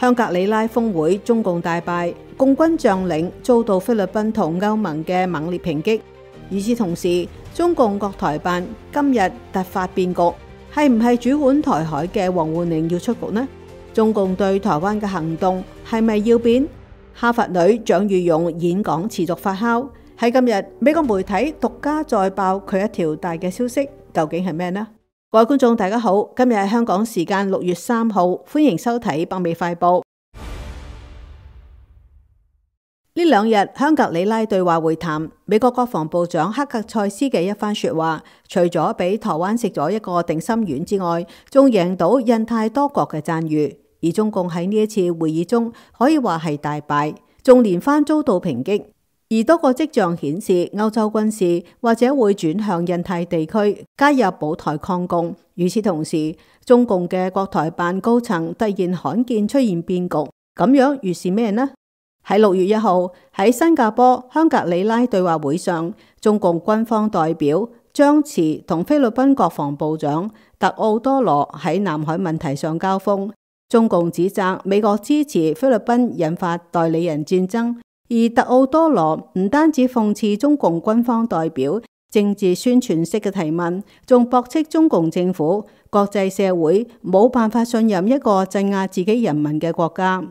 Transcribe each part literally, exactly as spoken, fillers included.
香格里拉峰會中共大敗，共軍將領遭到菲律賓同歐盟嘅猛烈抨擊。與此同時，中共國台辦今日突發變局，係唔係主管台海嘅王滬寧要出局呢？中共對台灣嘅行動係咪要變？哈佛女蔣裕勇演講持續發酵，喺今日美國媒體獨家再爆佢一條大嘅消息，究竟係咩呢？各位觀眾大家好，今日係香港時間六月三號，歡迎收睇北美快報。呢兩日香格里拉對話會談，美國國防部長克格塞斯嘅一番說話，除咗俾台灣食咗一個定心丸之外，仲贏到印太多國嘅讚譽。而中共喺呢一次會議中可以話係大敗，仲連番遭到抨擊。而多個跡象顯示，歐洲軍事或者會轉向印太地區加入保台抗共。與此同時，中共嘅國台辦高層突然罕見出現變局，咁樣預示咩呢？喺六月一號喺新加坡香格里拉對話會上，中共軍方代表張弛同菲律賓國防部長特奧多羅喺南海問題上交鋒。中共指責美國支持菲律賓引發代理人戰爭。而特奧多羅唔單止諷刺中共軍方代表政治宣傳式嘅提問，仲駁斥中共政府、國際社會冇辦法信任一個鎮壓自己人民嘅國家。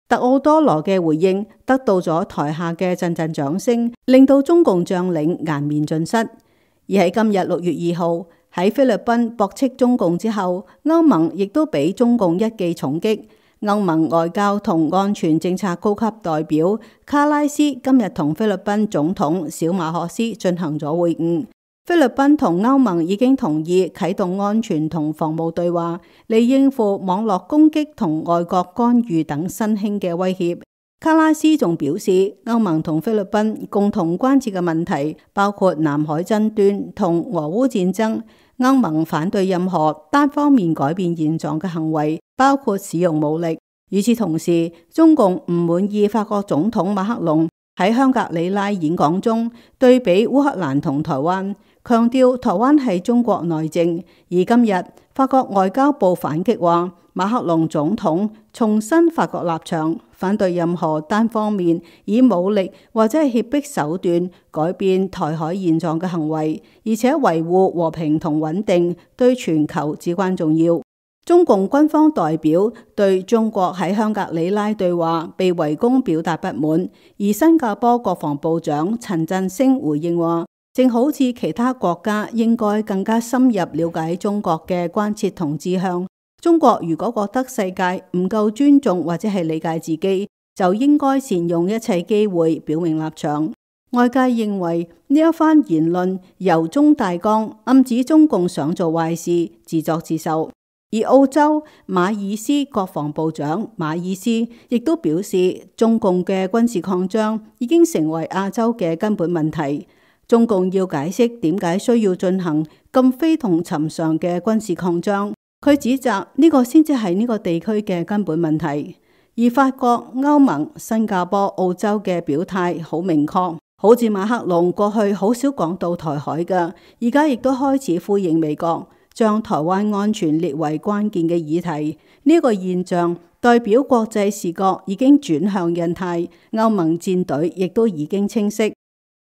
特奧多羅嘅回應得到咗台下嘅陣陣掌聲，令到中共將領顏面盡失。而喺今日六月二號喺菲律賓駁斥中共之後，歐盟亦都俾中共一記重擊。歐盟外交同安全政策高級代表卡拉斯今日同菲律賓總統小馬可斯進行咗會晤。菲律賓同歐盟已經同意啟動安全同防務對話，嚟應付網絡攻擊同外國干預等新興嘅威脅。卡拉斯仲表示，歐盟同菲律賓共同關切嘅問題包括南海爭端同俄烏戰爭。歐盟反對任何單方面改變現狀嘅行為，包括使用武力。與此同時，中共唔滿意法國總統馬克龍喺香格里拉演講中對比烏克蘭同台灣，強調台灣係中國內政。而今日法國外交部反擊話，馬克龍總統重申法國立場，反對任何單方面以武力或者係脅迫手段改變台海現狀嘅行為，而且維護和平同穩定對全球至關重要。中共軍方代表對中國喺香格里拉對話被圍攻表達不滿，而新加坡國防部長陳振聲回應話，正好似其他國家應該更加深入了解中國嘅關切同志向。中國如果覺得世界唔夠尊重或者係理解自己，就應該善用一切機會表明立場。外界認為呢一番言論由衷大江，暗指中共想做壞事，自作自受。而澳洲馬爾斯國防部長馬爾斯亦都表示，中共嘅軍事擴張已經成為亞洲嘅根本問題。中共要解釋點解需要進行咁非同尋常嘅軍事擴張。佢指責呢個先至係呢個地區嘅根本問題。而法國、歐盟、新加坡、澳洲嘅表態好明確，好似馬克龍過去好少講到台海嘅，而家亦都開始呼應美國，將台灣安全列為關鍵嘅議題。呢、這個現象代表國際視角已經轉向印太，歐盟戰隊亦都已經清晰。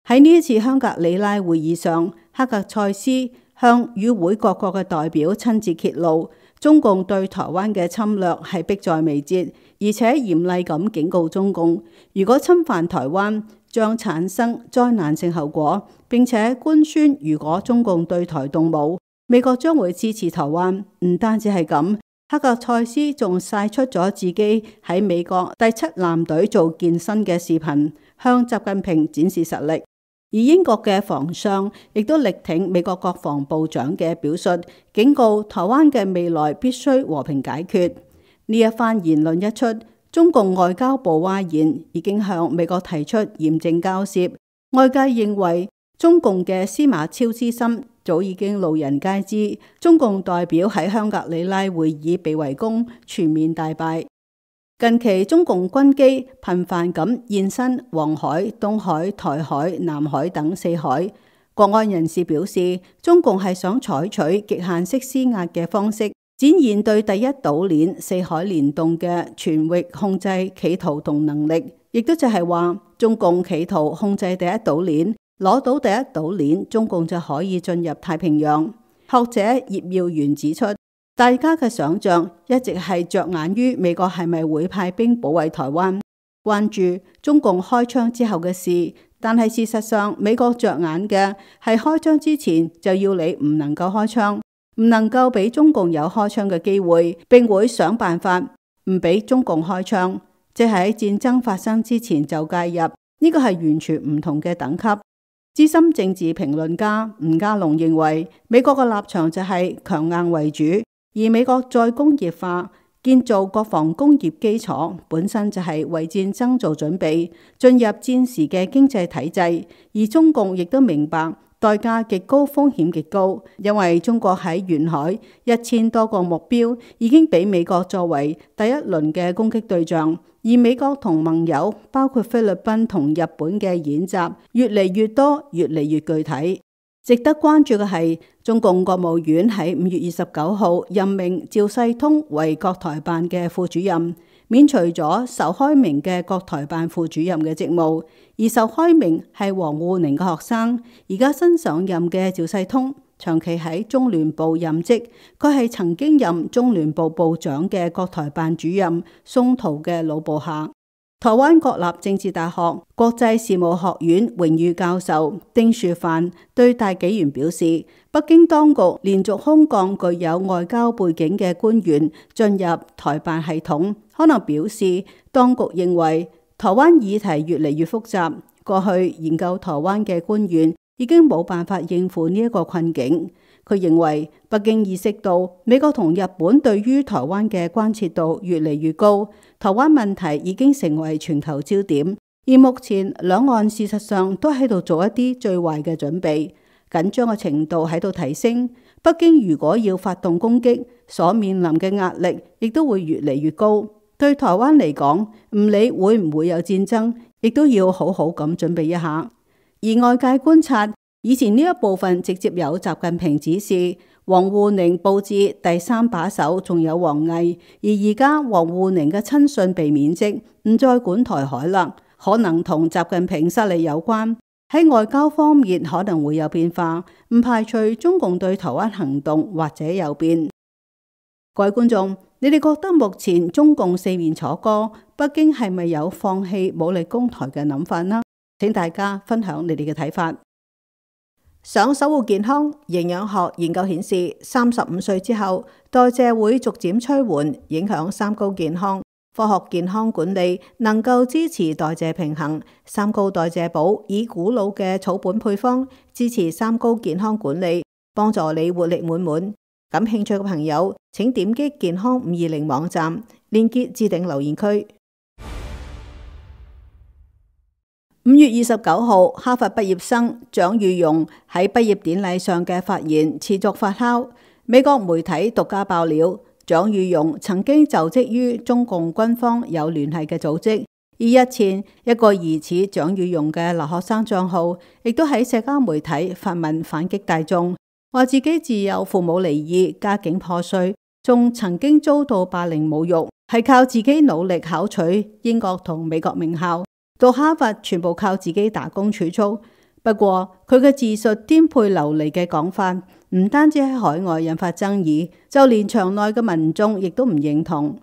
喺呢一次香格里拉會議上，克格塞斯向與會各國嘅代表親自揭露，中共對台灣嘅侵略係迫在眉睫，而且嚴厲咁警告中共，如果侵犯台灣將產生災難性後果，並且官宣如果中共對台動武，美國將會支持台灣。唔單止係咁，克格塞斯仲晒出咗自己喺美國第七艦隊做健身嘅視頻，向習近平展示實力。而英國嘅防相亦都力挺美國國防部長嘅表述，警告台灣嘅未來必須和平解決。呢一番言論一出，中共外交部嘩然，已經向美國提出嚴正交涉。外界認為中共嘅司馬昭之心早已經路人皆知，中共代表喺香格里拉會議被圍攻，全面大敗。近期中共軍機頻繁咁現身黃海、東海、台海、南海等四海。國安人士表示，中共係想採取極限式施壓嘅方式，展現對第一島鏈四海聯動嘅全域控制企圖同能力，亦都就係話中共企圖控制第一島鏈，攞到第一島鏈，中共就可以進入太平洋。學者葉耀元指出，大家嘅想象一直係着眼於美國係咪會派兵保衛台灣，關注中共開槍之後嘅事，但係事實上美國着眼嘅係開槍之前就要你唔能夠開槍，唔能夠俾中共有開槍嘅機會，並會想辦法唔俾中共開槍，即係喺戰爭發生之前就介入。呢個係完全唔同嘅等級。資深政治評論家吳家龍認為，美國嘅立場就係強硬為主，而美國再工業化，建造國防工業基礎，本身就係為戰爭做準備，進入戰時嘅經濟體制。而中共亦都明白代價極高，風險極高，因為中國喺沿海一千多個目標已經俾美國作為第一輪嘅攻擊對象，而美國同盟友包括菲律賓同日本嘅演習越嚟越多，越嚟越具體。值得關注嘅係，中共國務院喺五月二十九號任命趙世通為國台辦嘅副主任，免除咗仇開明嘅國台辦副主任嘅職務。而仇開明係王滬寧嘅學生，而家新上任嘅趙世通長期喺中聯部任職，佢係曾經任中聯部部長嘅國台辦主任宋濤嘅老部下。台灣國立政治大學國際事務學院榮譽教授丁樹範對大紀元表示，北京當局連續空降具有外交背景嘅官員進入台辦系統，可能表示當局認為台灣議題越嚟越複雜，過去研究台灣嘅官員已經冇辦法應付呢一個困境。佢認為北京意識到美國同日本對於台灣嘅關切度越嚟越高，台灣問題已經成為全球焦點，而目前兩岸事實上都喺度做一啲最壞嘅準備，緊張嘅程度喺度提升。北京如果要發動攻擊，所面臨嘅壓力亦都會越嚟越高。對台灣嚟講，唔理會唔會有戰爭，亦都要好好咁準備一下。而外界觀察，以前呢一部分直接有習近平指示，王滬寧佈置第三把手，仲有王毅。而而家王滬寧嘅親信被免職，唔再管台海啦，可能同習近平失利有關。喺外交方面可能會有變化，唔排除中共對台灣行動或者有變。各位觀眾，你哋覺得目前中共四面楚歌，北京係咪有放棄武力攻台嘅諗法呢？請大家分享你哋嘅睇法。想守護健康，營養學研究顯示，三十五歲之後代謝會逐漸趨緩，影響三高健康。科學健康管理能夠支持代謝平衡。三高代謝寶以古老嘅草本配方支持三高健康管理，幫助你活力滿滿。感興趣嘅朋友請點擊健康五二零網站，連結置頂留言區。五月二十九號，哈佛畢業生蔣宇容喺畢業典禮上嘅發言持續發酵。美國媒體獨家爆料，蔣宇容曾經就職於中共軍方有聯繫嘅組織。而日前，一個疑似蔣宇容嘅留學生賬號，亦都喺社交媒體發文反擊大眾，話自己自幼父母離異，家境破碎，仲曾經遭到霸凌侮辱，係靠自己努力考取英國同美國名校。到哈佛全部靠自己打工儲蓄。不過佢嘅自述顛沛流離嘅講法，唔單止喺海外引發爭議，就連場內嘅民眾亦都唔認同。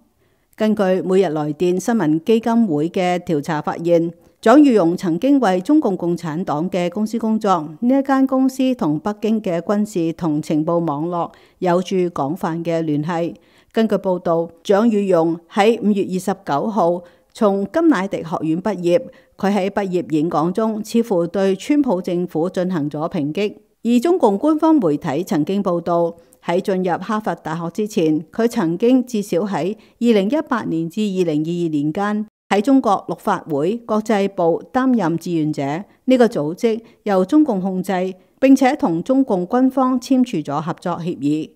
根據每日來電新聞基金會嘅調查發現，蔣宇容曾經為中共共產黨嘅公司工作，呢一間公司同北京嘅軍事同情報網絡有住廣泛嘅聯繫。根據報道，蔣宇容喺五月二十九號從金乃迪學院畢業，佢喺畢業演講中似乎對川普政府進行咗抨擊。而中共官方媒體曾經報道，喺進入哈佛大學之前，佢曾經至少喺二零一八年至二零二二年間喺中國陸法會國際部擔任志願者。呢、這個組織由中共控制，並且同中共軍方簽署咗合作協議。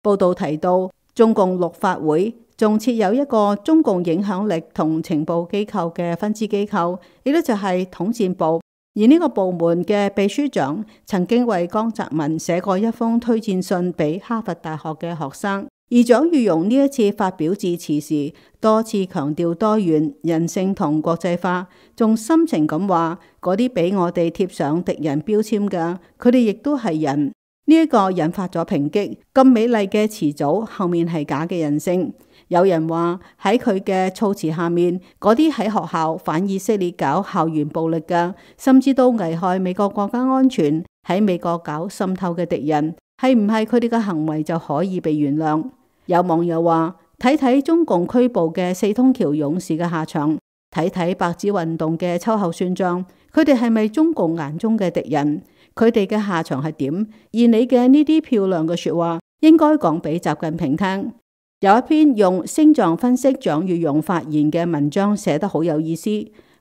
報道提到，中共陸法會仲設有一個中共影響力同情報機構嘅分支機構，亦都就係統戰部。而呢個部門嘅秘書長曾經為江澤民寫過一封推薦信俾哈佛大學嘅學生。而蔣宇容呢一次發表致辭時，多次強調多元、人性同國際化，仲深情咁話嗰啲俾我哋貼上敵人標籤嘅，佢哋亦都係人。呢、這、一個引發咗抨擊，咁美麗嘅詞組後面係假嘅人性。有人話喺佢嘅措辭下面，嗰啲喺學校反以色列搞校園暴力嘅，甚至到危害美國國家安全，喺美國搞滲透嘅敵人，係唔係佢哋嘅行為就可以被原諒？有網友話睇睇中共拘捕嘅四通橋勇士嘅下場，睇睇白紙運動嘅秋後算賬，佢哋係咪中共眼中嘅敵人？佢哋嘅下場係點？而你嘅呢啲漂亮嘅說話，應該講俾習近平聽。有一篇用星象分析蔣宇容發言嘅文章寫得好有意思。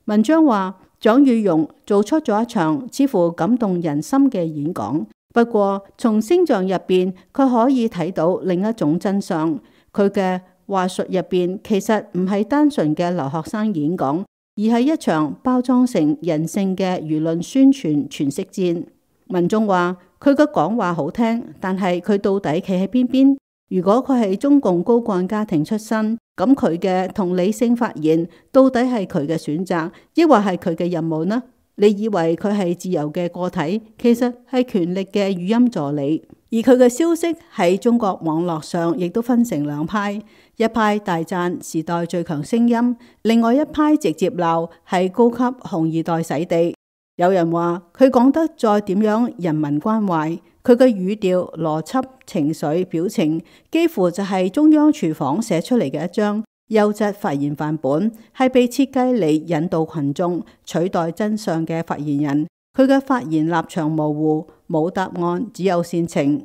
文章話蔣宇容做出咗一場似乎感動人心嘅演講，不過從星象入邊佢可以睇到另一種真相。佢嘅話術入邊其實唔係單純嘅留學生演講，而係一場包裝成人性嘅輿論宣傳詮釋戰。文中話佢嘅講話好聽，但係佢到底企喺邊邊？如果佢係中共高幹家庭出身，咁佢嘅同理性發言到底係佢嘅選擇，抑或係佢嘅任務呢？你以為佢係自由嘅個體，其實係權力嘅語音助理。而佢嘅消息喺中國網絡上亦都分成兩派，一派大讚時代最強聲音，另外一派直接鬧係高級紅二代洗地。有人話佢講得再點樣人民關懷，佢嘅語調、邏輯、情緒、表情，幾乎就係中央廚房寫出嚟嘅一張優質發言範本，係被設計嚟引導群眾取代真相嘅發言人。佢嘅發言立場模糊，冇答案，只有煽情。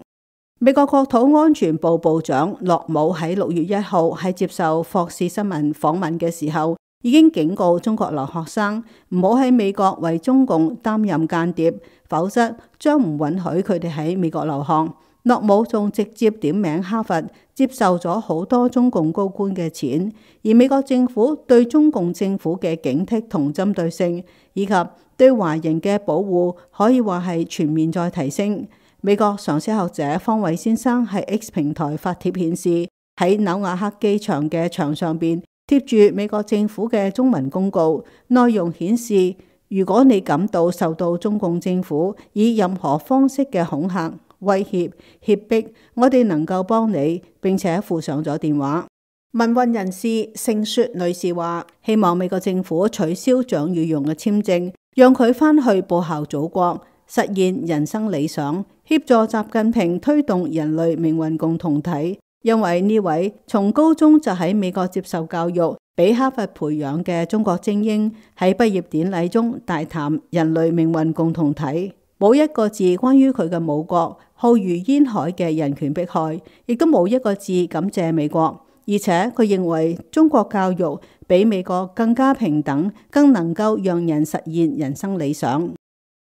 美國國土安全部部長洛姆喺六月一號喺接受霍士新聞訪問嘅時候，已經警告中國留學生唔好喺美國為中共擔任間諜，否則將唔允許佢哋喺美國留學。洛姆仲直接點名哈佛接受咗好多中共高官嘅錢，而美國政府對中共政府嘅警惕同針對性，以及對華人嘅保護，可以話係全面再提升。美國常識學者方偉先生喺 X 平台發帖顯示，喺紐瓦克機場嘅牆上邊貼住美國政府嘅中文公告，內容顯示，如果你感到受到中共政府以任何方式嘅恐嚇、威脅、脅迫，我哋能夠幫你，並且附上咗電話。民運人士盛雪女士話，希望美國政府取消蔣宇容嘅簽證，讓佢返去報效祖國，實現人生理想，協助習近平推動人類命運共同體。因為呢位從高中就喺美國接受教育，俾哈佛培養嘅中國精英，喺畢業典禮中大談人類命運共同體，冇一個字關於佢嘅母國浩如煙海嘅人權迫害，亦都冇一個字感謝美國。而且佢認為中國教育比美國更加平等，更能夠讓人實現人生理想。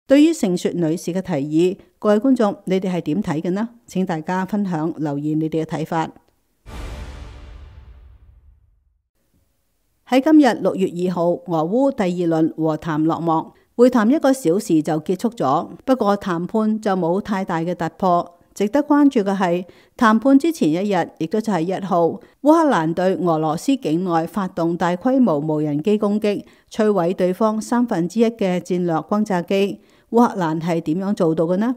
對於盛雪女士嘅提議，各位觀眾，你哋係點睇嘅呢？請大家分享留言你哋嘅睇法。喺今日六月二號，俄烏第二輪和談落幕，會談一個小時就結束咗，不過談判就冇太大嘅突破。值得關注嘅係，談判之前一日，亦都就係一號，烏克蘭對俄羅斯境內發動大規模無人機攻擊，摧毀對方三分之一嘅戰略轟炸機。烏克蘭係點樣做到嘅呢？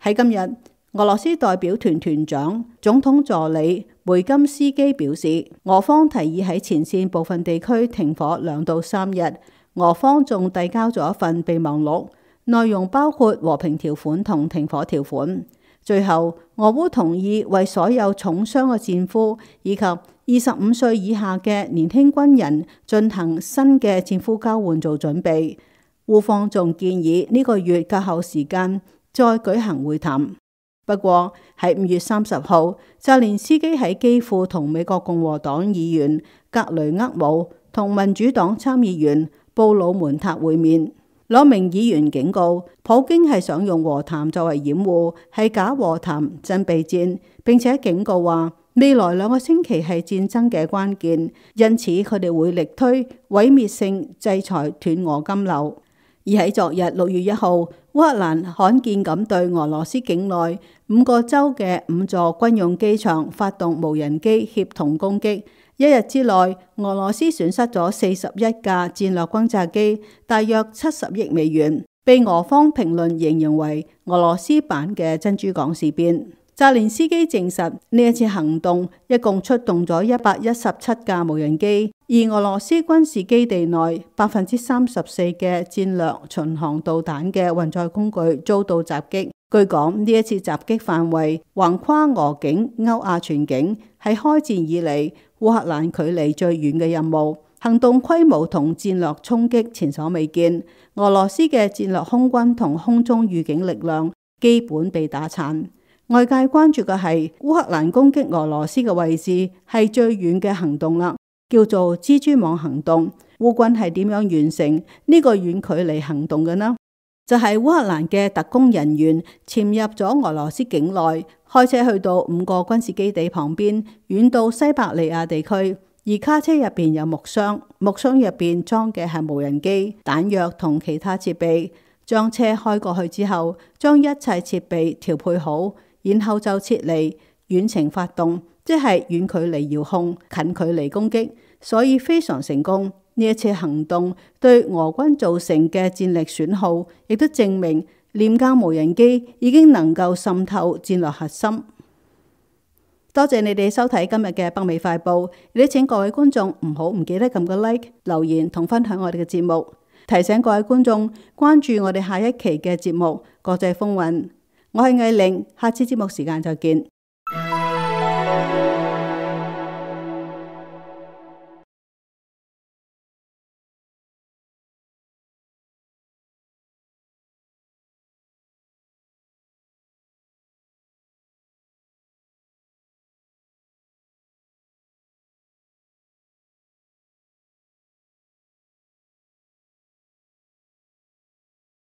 喺今日，俄羅斯代表團團長、總統助理梅金斯基表示，俄方提議喺前線部分地區停火兩到三日。俄方仲遞交咗一份備忘錄，內容包括和平條款同停火條款。最後，俄烏同意為所有重傷嘅戰俘以及二十五歲以下嘅年輕軍人進行新嘅戰俘交換做準備。烏方仲建議呢個月較後時間再舉行會談。不過喺五月三十號，澤連斯基喺基輔同美國共和黨議員格雷厄姆同民主黨參議員布魯門塔會面。兩名議員警告，普京係想用和談作為掩護，係假和談真備戰，並且警告話未來兩個星期係戰爭嘅關鍵，因此佢哋會力推毀滅性制裁斷俄金流。而喺昨日六月一號，烏克蘭罕見咁對俄羅斯境內五個州嘅五座軍用機場發動無人機協同攻擊。一日之內，俄羅斯損失咗四十一架戰略轟炸機，大約七十億美元，被俄方評論形容為俄羅斯版嘅珍珠港事變。澤連斯基證實呢一次行動一共出動咗一百一十七架無人機，而俄羅斯軍事基地內百分之三十四嘅戰略巡航導彈嘅運載工具遭到襲擊。據講呢一次襲擊範圍橫跨俄境、歐亞全境，係開戰以嚟烏克蘭距離最遠嘅任務，行動規模同戰略衝擊前所未見。俄羅斯嘅戰略空軍同空中預警力量基本被打殘。外界關注嘅係烏克蘭攻擊俄羅斯嘅位置係最遠嘅行動啦，叫做蜘蛛網行動。烏軍係點樣完成呢個遠距離行動嘅呢？就係、是、烏克蘭嘅特工人員潛入咗俄羅斯境內，開車去到五個軍事基地旁邊，遠到西伯利亞地區。而卡車入邊有木箱，木箱入邊裝嘅係無人機、彈藥同其他設備。將車開過去之後，將一切設備調配好，然後就撤離，遠程發動，即係遠距離遙控、近距離攻擊，所以非常成功。呢一次行動對俄軍造成嘅戰力損耗，亦都證明廉價無人機已經能夠滲透戰略核心。多謝你哋收睇今日嘅北美快報，亦都請各位觀眾唔好唔記得撳個 like、留言同分享我哋嘅節目。提醒各位觀眾關注我哋下一期嘅節目《國際風雲》。我係藝玲，下次節目時間再見。